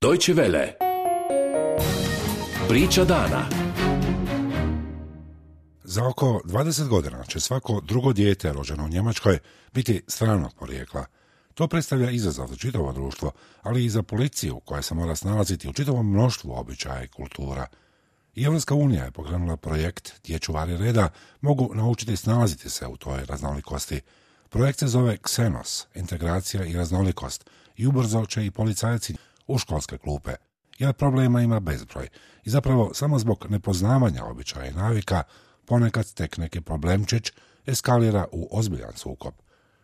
Deutsche Welle. Priča dana. Za oko 20 godina će svako drugo dijete rođeno u Njemačkoj biti stranog porijekla. To predstavlja izazov za čitavo društvo, ali i za policiju koja se mora snalaziti u čitavom mnoštvu običaja i kultura. I Europska unija je pokrenula projekt gdje čuvari reda mogu naučiti snalaziti se u toj raznolikosti. Projekt se zove Xenos, integracija i raznolikost, i ubrzo će i policajci u školske klupe, jer problema ima bezbroj. I zapravo samo zbog nepoznavanja običaja i navika ponekad tek neki problemčić eskalira u ozbiljan sukob.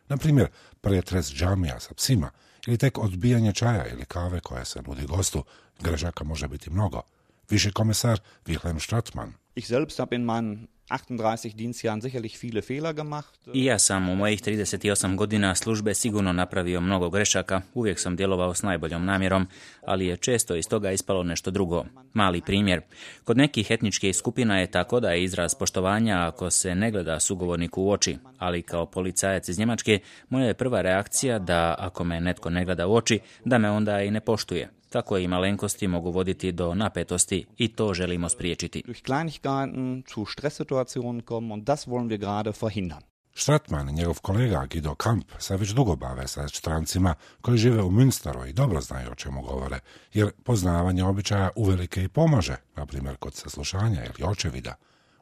Na primjer, pretres džamija sa psima ili tek odbijanje čaja ili kave koja se nudi gostu, grešaka može biti mnogo. Viši komesar Wilhelm Stratmann. Ich selbst habe in meinen 38 Dienstjahren sicherlich viele Fehler gemacht. I ja sam u mojih 38 godina službe sigurno napravio mnogo grešaka, uvijek sam djelovao s najboljom namjerom, ali je često iz toga ispalo nešto drugo. Mali primjer. Kod nekih etničkih skupina je tako da je izraz poštovanja ako se ne gleda sugovorniku u oči, ali kao policajac iz Njemačke, moja je prva reakcija da ako me netko ne gleda u oči, da me onda i ne poštuje. Tako i malenkosti mogu voditi do napetosti i to želimo spriječiti. Durch Kleinigkeiten zu Stresssituationen kommen und das wollen wir gerade verhindern. Stratmann i njegov kolega Guido Kamp se već dugo bave sa strancima koji žive u Münsteru i dobro znaju o čemu govore, jer poznavanje običaja uvelike i pomaže, na primjer kod saslušanja ili očevida.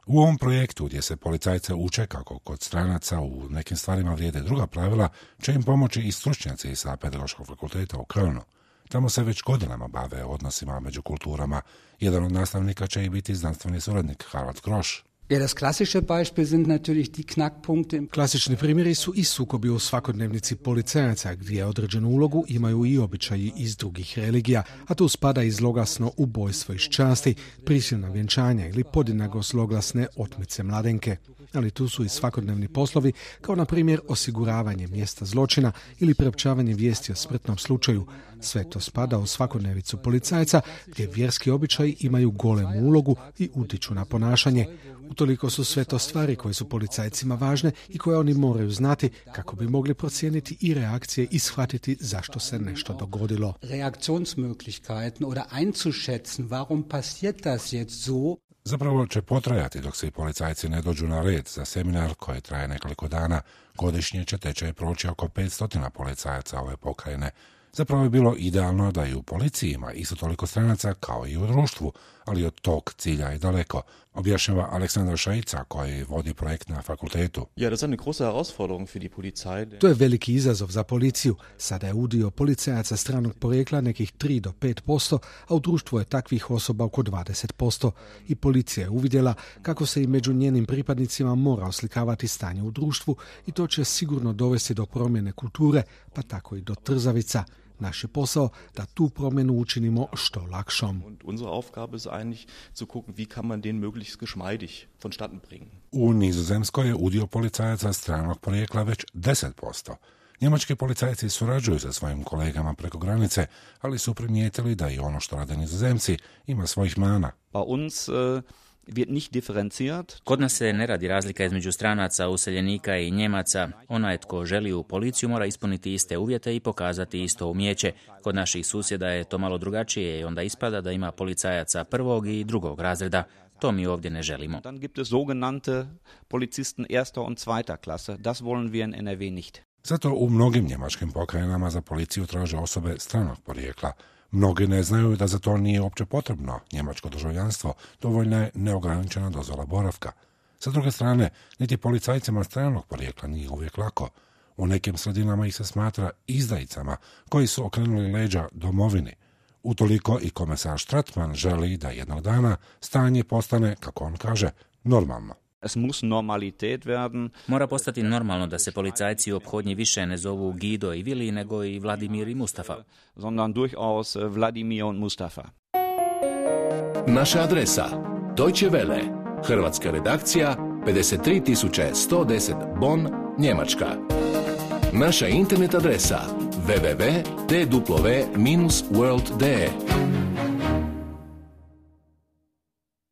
U ovom projektu gdje se policajce uče kako kod stranaca u nekim stvarima vrijede druga pravila, će im pomoći i stručnjaci sa Pedagoškog fakulteta u Kölnu. Tamo se već godinama bave odnosima među kulturama. Jedan od nastavnika će i biti znanstveni suradnik Harald Grosch. Ja, das klassische Beispiel sind natürlich die Knackpunkte. Klasični primjeri su i sukobi u svakodnevnici policajaca, gdje određenu ulogu imaju i običaji iz drugih religija, a tu spada i zloglasno ubojstvo iz časti, prisilna vjenčanja ili podjednako zloglasne otmice mladenke. Ali tu su i svakodnevni poslovi, kao na primjer osiguravanje mjesta zločina ili priopćavanje vijesti o smrtnom slučaju. Sve to spada u svakodnevicu policajca, gdje vjerski običaji imaju golemu ulogu i utiču na ponašanje. Utoliko su sve to stvari koje su policajcima važne i koje oni moraju znati kako bi mogli procijeniti i reakcije i shvatiti zašto se nešto dogodilo. Reaktionsmöglichkeiten oder einzuschätzen, warum passiert das jetzt so? Zapravo će potrajati dok se i policajci ne dođu na red za seminar koji traje nekoliko dana. Godišnje će tečaj proći oko 500 policajaca ove pokrajine. Zapravo je bilo idealno da i u policiji ima isto toliko stranaca kao i u društvu, ali od tog cilja je daleko, objašnjava Aleksandar Šajica koji vodi projekt na fakultetu. Ja, das ist eine große Herausforderung für die Polizei. To je veliki izazov za policiju. Sada je udio policajaca stranog porijekla nekih 3 do 5%, a u društvu je takvih osoba oko 20%. I policija je uvidjela kako se i među njenim pripadnicima mora oslikavati stanje u društvu i to će sigurno dovesti do promjene kulture, pa tako i do trzavica. Naš je posao da tu promjenu učinimo što lakšom. Und unsere Aufgabe ist eigentlich zu gucken, wie kann man den möglichst geschmeidig vonstatten bringen. U Nizozemskoj je udio policajaca stranog porijekla već 10%. Njemački policajci surađuju sa svojim kolegama preko granice, ali su primijetili da i ono što rade Nizozemci ima svojih mana. Bei uns wird nicht differenziert. Kod nas se ne radi razlika između stranaca, useljenika i Njemaca. Onaj tko želi u policiju mora ispuniti iste uvjete i pokazati isto umijeće. Kod naših susjeda je to malo drugačije i onda ispada da ima policajaca prvog i drugog razreda. To mi ovdje ne želimo. Dann gibt es sogenannte Polizisten erster und zweiter Klasse. Das wollen wir in NRW nicht. Zato u mnogim njemačkim pokrajinama za policiju traže osobe stranog porijekla. Mnogi ne znaju da za to nije uopće potrebno njemačko državljanstvo, dovoljna je neograničena dozvola boravka. Sa druge strane, niti policajcima stranog porijekla nije uvijek lako. U nekim sredinama ih se smatra izdajicama koji su okrenuli leđa domovini. Utoliko i komesar Stratmann želi da jednog dana stanje postane, kako on kaže, normalno. Es muss Normalität werden. Mora postati normalno da se policajci u ophodnji više ne zovu Guido i Vili, nego i Vladimir i Mustafa. Sondern durchaus Vladimir und Mustafa. Naša adresa Deutsche Welle, hrvatska redakcija, 53110 Bonn, Njemačka. Naša internet adresa www.tww-world.de